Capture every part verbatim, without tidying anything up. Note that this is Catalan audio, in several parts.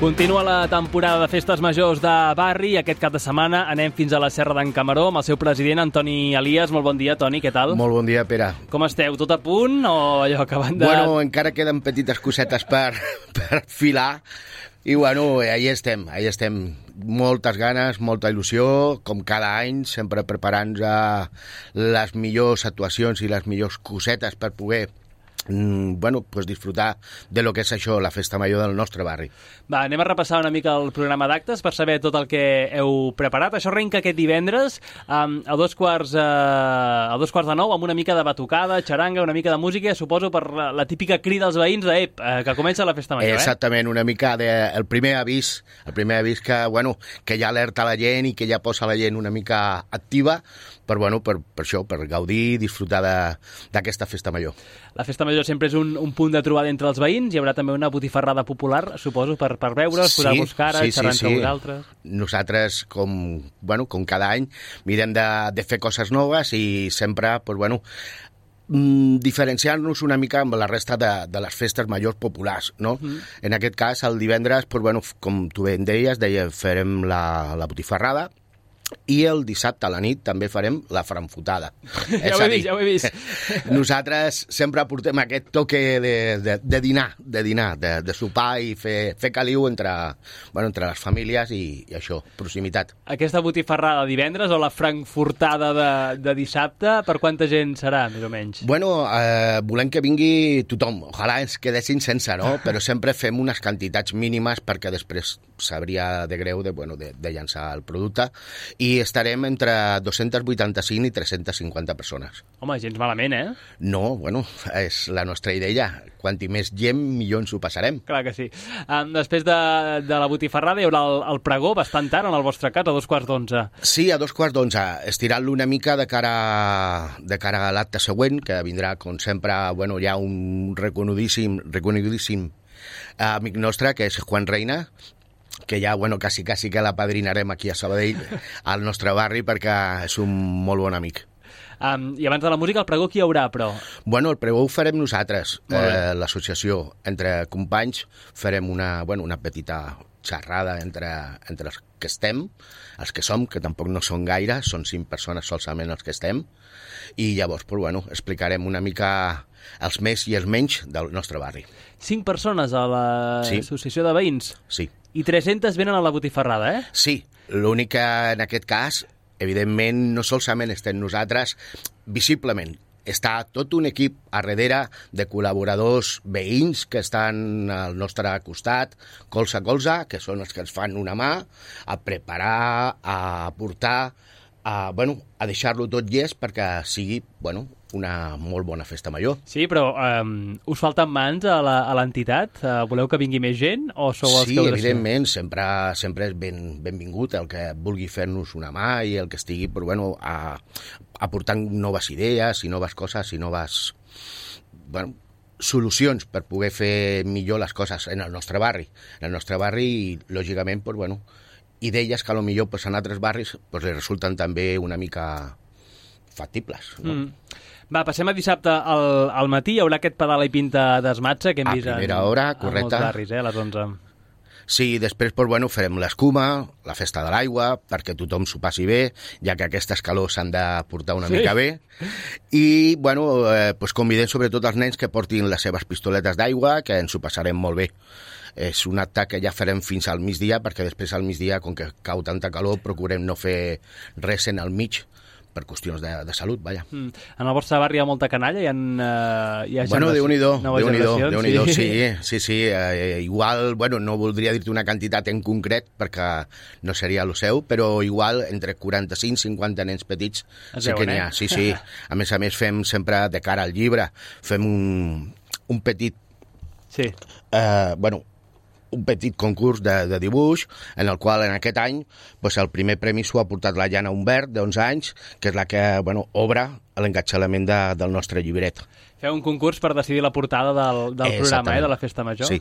Continua la temporada de festes majors de barri i aquest cap de setmana anem fins a la Serra d'en Camaró amb el seu president, Antoni Elias. Molt bon dia, Toni, què tal? Molt bon dia, Pere. Com esteu? Tot a punt o allò acabant de... Bueno, encara queden petites cosetes per, per filar i bueno, ahí estem, ahí estem. Moltes ganes, molta il·lusió, com cada any, sempre preparant-nos les millors actuacions i les millors cosetes per poder bueno, pues disfrutar de lo que és això, la festa major del nostre barri. Va, anem a repassar una mica el programa d'actes per saber tot el que heu preparat. Això arrenca aquest divendres um, a, dos quarts, uh, a dos quarts de nou amb una mica de batucada, xaranga, una mica de música, suposo per la, la típica crida als veïns de ep, uh, que comença la festa major, eh? Exactament, una mica de, el primer avís, el primer avís que, bueno, que ja alerta la gent i que ja posa la gent una mica activa per, bueno, per, per això, per gaudir i disfrutar d'aquesta festa major. La festa major sempre és un, un punt de trobada entre els veïns. Hi haurà també una botifarrada popular, suposo, per, per veure's, sí, posar-vos cara, sí, xerrar sí, entre sí. vosaltres. Nosaltres, com, bueno, com cada any, mirem de, de fer coses noves i sempre, pues, bueno, mm, diferenciar-nos una mica amb la resta de, de les festes majors populars, no? Mm. En aquest cas, el divendres, pues, bueno, com tu bé em deies, deia, farem la, la botifarrada, i el dissabte a la nit també farem la franfotada. Ja ho he vist, ja ho he vist. Nosaltres sempre portem aquest toque de, de, de dinar, de dinar, de, de sopar i fer, fer caliu entre, bueno, entre les famílies i, i això, proximitat. Aquesta botifarrada divendres o la frankfurtada de, de dissabte, per quanta gent serà, més o menys? Bueno, eh, volem que vingui tothom. Ojalà ens quedessin sense, no? Però sempre fem unes quantitats mínimes perquè després sabria de greu de, bueno, de, de llançar el producte i estarem entre dos-cents vuitanta-cinc i tres-cents cinquanta persones. Home, gens malament, eh? No, bueno, és la nostra idea. Quanti més gent, millor ens ho passarem. Clar que sí. Um, després de, de la botifarrada hi haurà el, el pregó bastant tard en el vostre cas, a dos quarts d'onze. Sí, a dos quarts d'onze. Estirant-lo una mica de cara, de cara a l'acte següent, que vindrà, com sempre, bueno, hi ha un reconudíssim, reconudíssim amic nostre, que és Juan Reina, que ja, bueno, quasi, quasi que l'apadrinarem aquí a Sabadell, al nostre barri, perquè és un molt bon amic. Um, I abans de la música, el pregó qui hi haurà, però? Bueno, el pregó ho farem nosaltres, eh, l'associació. Entre companys farem una, bueno, una petita xerrada entre, entre els que estem, els que som, que tampoc no són gaire, són cinc persones solament els que estem, i llavors, pues, bueno, explicarem una mica els més i els menys del nostre barri. Cinc persones a l'associació sí. de veïns? Sí. I tres-centes venen a la botifarrada, eh? Sí, l'únic que en aquest cas, evidentment, no solament estem nosaltres, visiblement, està tot un equip a darrere de col·laboradors veïns que estan al nostre costat, colze a colze, que són els que ens fan una mà a preparar, a portar, a, bueno, a deixar-lo tot llest perquè sigui, bueno, una molt bona festa major. Sí, però um, us falten mans a l'entitat? Uh, voleu que vingui més gent o sou els sí, que... Sí, evidentment, sempre, sempre és ben, benvingut el que vulgui fer-nos una mà i el que estigui, però, bueno, a, aportant noves idees i noves coses i noves, bueno, solucions per poder fer millor les coses en el nostre barri. En el nostre barri i, lògicament, pues, bueno, idees que potser pues, en altres barris pues, li resulten també una mica factibles, no? Mm. Va, passem a dissabte al, al matí. Hi haurà aquest pedal i pinta d'esmatxa que hem a vist primera en, hora, en correcte. molts barris, eh, a les onze. Sí, després pues, bueno, farem l'escuma, la festa de l'aigua, perquè tothom s'ho passi bé, ja que aquestes calors s'han de portar una sí. mica bé. I bueno, eh, pues, convidem sobretot els nens que portin les seves pistoletes d'aigua, que ens ho passarem molt bé. És un acte que ja farem fins al migdia, perquè després al migdia, com que cau tanta calor, procurem no fer res en el mig, per qüestions de, de salut, vaja. Mm. En el vostre barri hi ha molta canalla? Hi ha, uh, hi ha bueno, Déu-n'hi-do, Déu-n'hi-do, Déu-n'hi-do, sí, sí, sí, sí. Eh, igual, bueno, no voldria dir-te una quantitat en concret, perquè no seria el seu, però igual entre quaranta-cinc i cinquanta nens petits es sí veuen, que n'hi ha, eh? sí, sí. A més a més, fem sempre de cara al llibre, fem un, un petit... Sí. Eh, bueno, un petit concurs de, de dibuix, en el qual en aquest any pues, el primer premi s'ho ha portat la Jana Humbert, d'onze anys, que és la que bueno, obre l'engatxalament de, del nostre llibret. Feu un concurs per decidir la portada del, del programa, eh, de la Festa Major. Sí.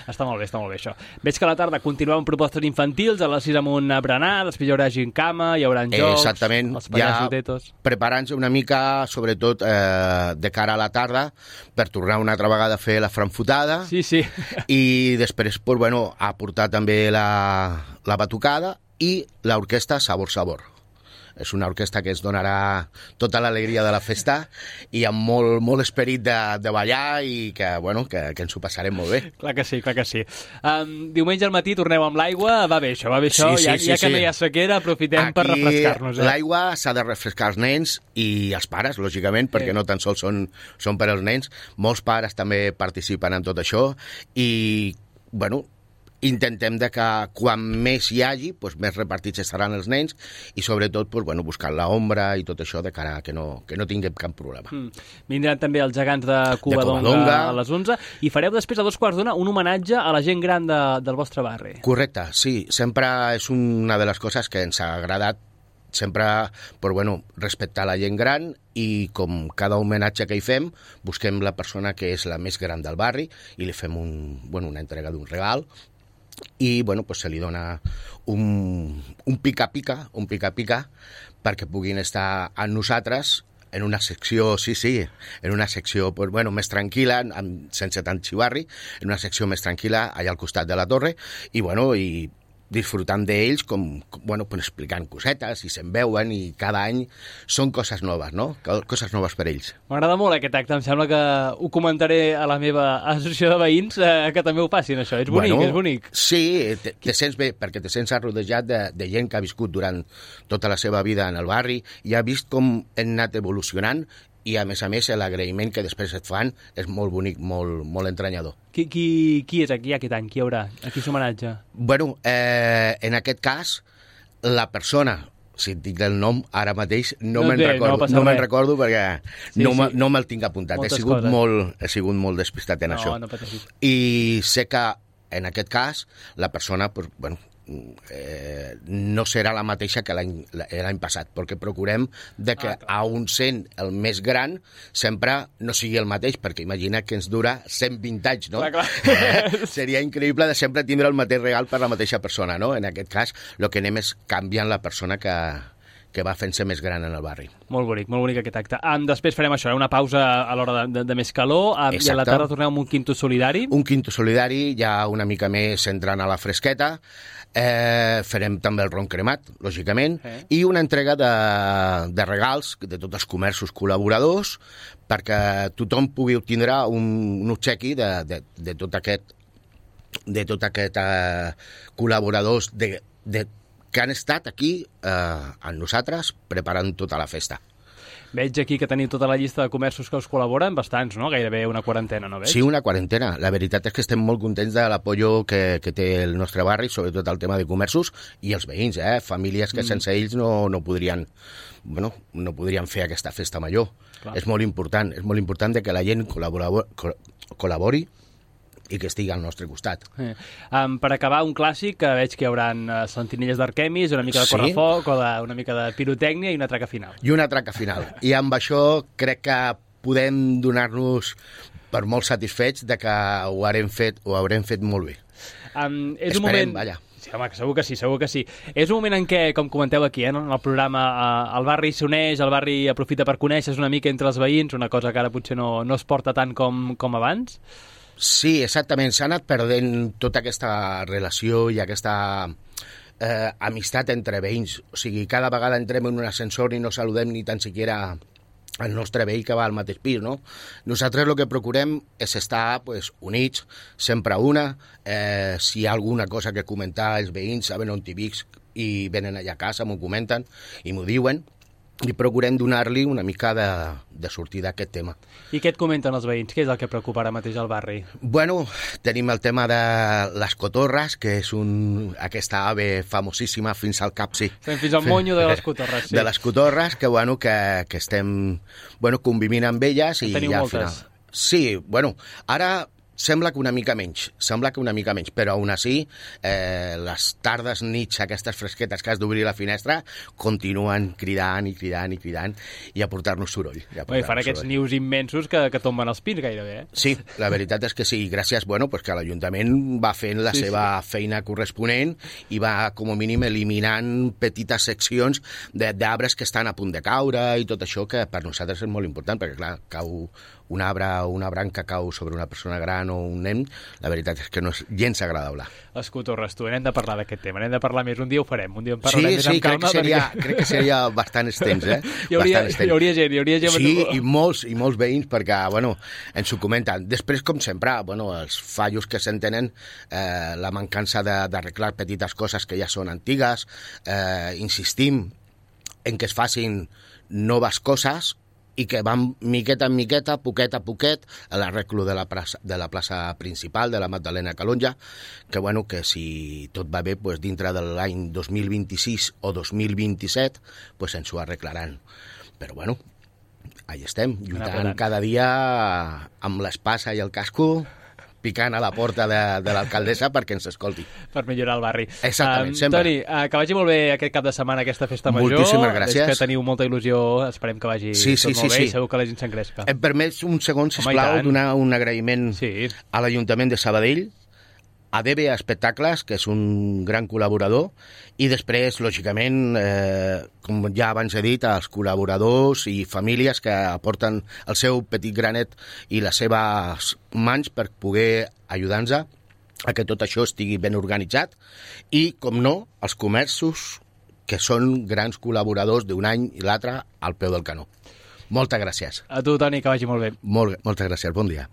Està molt bé, està molt bé això. Veig que a la tarda continueu amb propostes infantils, a les sis amb un berenar, després hi haurà gincama, hi haurà jocs, exactament. Els pallassos ja tetos. Preparant-se una mica, sobretot eh, de cara a la tarda, per tornar una altra vegada a fer la franfotada. Sí, sí. I després, pues, bueno, aportar també la, la batucada i l'orquestra Sabor Sabor. És una orquestra que ens donarà tota l'alegria de la festa i amb molt, molt esperit de, de ballar i que, bueno, que, que ens ho passarem molt bé. Clar que sí, clar que sí. Um, diumenge al matí torneu amb l'aigua, va bé això, va bé això, sí, sí, ja, sí, ja que sí. no hi ha sequera, aprofitem Aquí, per refrescar-nos. Eh? L'aigua s'ha de refrescar els nens i els pares, lògicament, perquè sí. no tan sols són, són per als nens. Molts pares també participen en tot això i, bueno, intentem de que quan més hi hagi, doncs més repartits estaran els nens i sobretot doncs, bueno, buscant l'ombra i tot això de cara a que no, que no tinguem cap problema. Mm. Vindran també els gegants de Covadonga a les onze i fareu després a dos quarts d'una un homenatge a la gent gran de, del vostre barri. Correcte, sí. Sempre és una de les coses que ens ha agradat sempre, però, bueno, respectar la gent gran i com cada homenatge que hi fem, busquem la persona que és la més gran del barri i li fem un, bueno, una entrega d'un regal i, bueno, pues se li dona un, un pica-pica, un pica-pica perquè puguin estar amb nosaltres en una secció, sí, sí, en una secció pues, bueno, més tranquil·la, amb, sense tant xivarri, en una secció més tranquil·la allà al costat de la torre i, bueno, i disfrutant d'ells, com, com, bueno, pues explicant cosetes i se'n veuen i cada any són coses noves, no? Coses noves per ells. M'agrada molt aquest acte, em sembla que ho comentaré a la meva associació de veïns eh, que també ho facin, això. És bonic, bueno, és bonic. Sí, te, te sents bé, perquè te sents rodejat de, de gent que ha viscut durant tota la seva vida en el barri i ha vist com hem anat evolucionant i, a més a més, l'agraïment que després et fan és molt bonic, molt, molt entranyador. Qui, qui, qui és aquí aquest any? Qui hi haurà? A qui s'homenatge? Bueno, eh, en aquest cas, la persona, si et dic el nom, ara mateix no, no me'n recordo, no, no me'n recordo perquè sí, no, sí. no me'l tinc apuntat. He sigut, molt, he sigut molt despistat en no, això. No pateixis. I sé que, en aquest cas, la persona, pues, bueno, Eh, no serà la mateixa que l'any passat, perquè procurem de que ah, a un sent el més gran sempre no sigui el mateix, perquè imagina que ens dura cent vint anys, no? Clar, clar. Seria increïble de sempre tindre el mateix regal per la mateixa persona, no? En aquest cas, el que anem és canviant la persona que, que va fent-se més gran en el barri. Molt bonic, molt bonic aquest acte. Um, després farem això, una pausa a l'hora de, de, de més calor, um, i a la tarda tornem amb un quinto solidari. Un quinto solidari, ja una mica més entrant a la fresqueta. Eh, farem també el ron cremat, lògicament, eh. i una entrega de, de regals de tots els comerços col·laboradors perquè tothom pugui obtindre un, un obsequi de, de, de tot aquest de tot aquest eh, col·laboradors de, de, que han estat aquí eh, amb nosaltres preparant tota la festa. Veig aquí que teniu tota la llista de comerços que us col·laboren, bastants, no? Gairebé una quarantena, no veig? Sí, una quarantena. La veritat és que estem molt contents de l'apoyo que, que té el nostre barri, sobretot el tema de comerços i els veïns, eh? Famílies que mm. sense ells no, no podrien bueno, no podrien fer aquesta festa major. Clar. És molt important, és molt important de que la gent col·labori i que estigui al nostre costat. Eh. Um, per acabar, un clàssic, que veig que hi haurà uh, sentinelles d'Arquemis, una mica de correfoc, sí? O de, una mica de pirotècnia i una traca final. I una traca final. I amb això crec que podem donar-nos per molt satisfets de que ho haurem fet, ho haurem fet molt bé. Um, és Esperem, un moment... vaja. Sí, home, segur que sí, segur que sí. És un moment en què, com comenteu aquí, eh, en el programa, eh, el barri s'uneix, el barri aprofita per conèixer una mica entre els veïns, una cosa que ara potser no, no es porta tant com, com abans. Sí, exactament. S'ha anat perdent tota aquesta relació i aquesta eh, amistat entre veïns. O sigui, cada vegada entrem en un ascensor i no saludem ni tan siquiera el nostre veí que va al mateix pis, no? Nosaltres el que procurem és estar pues, units, sempre una. Eh, si hi ha alguna cosa que comentar, els veïns saben on t'hi visc i venen allà a casa, m'ho comenten i m'ho diuen. I procurem donar-li una mica de, de sortida a aquest tema. I què et comenten els veïns? Què és el que preocupa ara mateix al barri? Bueno, tenim el tema de les cotorres, que és un, aquesta ave famosíssima fins al cap, sí. Estem fins al monyo de les cotorres, sí. De les cotorres, que, bueno, que, que estem bueno, convivint amb elles. En i teniu ja moltes? Final... Sí, bueno, ara sembla que una mica menys, sembla que una mica menys, però aún així, eh, les tardes, nits, aquestes fresquetes que has d'obrir la finestra, continuen cridant i cridant i cridant i a portar-nos soroll. I Oi, fan aquests soroll. Nius immensos que, que tomben els pins gairebé, eh? Sí, la veritat és que sí, gràcies, bueno, pues que l'Ajuntament va fent la sí, seva sí. feina corresponent i va, com a mínim, eliminant petites seccions d'arbres que estan a punt de caure i tot això, que per nosaltres és molt important, perquè, clar, cau un arbre o una branca cau sobre una persona gran o un nen, la veritat és que no és gens agradable. Escotorres, tu, n'hem de parlar d'aquest tema, n'hem de parlar més, un dia ho farem, un dia en parlarem sí, més sí, amb calma. Sí, sí, perquè... crec que seria bastant extens, eh? Hi hauria, hi hauria gent, hi hauria gent. Sí, i molts, i molts veïns, perquè, bueno, ens ho comenten. Després, com sempre, bueno, els fallos que s'entenen, eh, la mancança d'arreglar petites coses que ja són antigues, eh, insistim en que es facin noves coses, i que van miqueta en miqueta, poquet a poquet, a l'arreglo de, la plaça, de la plaça principal, de la Magdalena Calonja, que, bueno, que si tot va bé, pues, dintre de l'any dos mil vint-i-sis o dos mil vint-i-set, pues, ens ho arreglaran. Però, bueno, ahí estem, lluitant cada dia amb l'espasa i el casco, picant a la porta de, de l'alcaldessa perquè ens escolti. Per millorar el barri. Exactament, um, sempre. Toni, uh, que vagi molt bé aquest cap de setmana, aquesta festa major. Moltíssimes gràcies. És que teniu molta il·lusió, esperem que vagi sí, sí, tot molt sí, bé sí. i segur que la gent s'engresca. Em permets un segon, sisplau, donar un agraïment sí. a l'Ajuntament de Sabadell, a D B Espectacles, que és un gran col·laborador, i després, lògicament, eh, com ja abans he dit, als col·laboradors i famílies que aporten el seu petit granet i les seves mans per poder ajudar-nos a que tot això estigui ben organitzat i, com no, els comerços que són grans col·laboradors d'un any i l'altre al peu del canó. Moltes gràcies. A tu, Toni, que vagi molt bé. Molt, moltes gràcies, bon dia.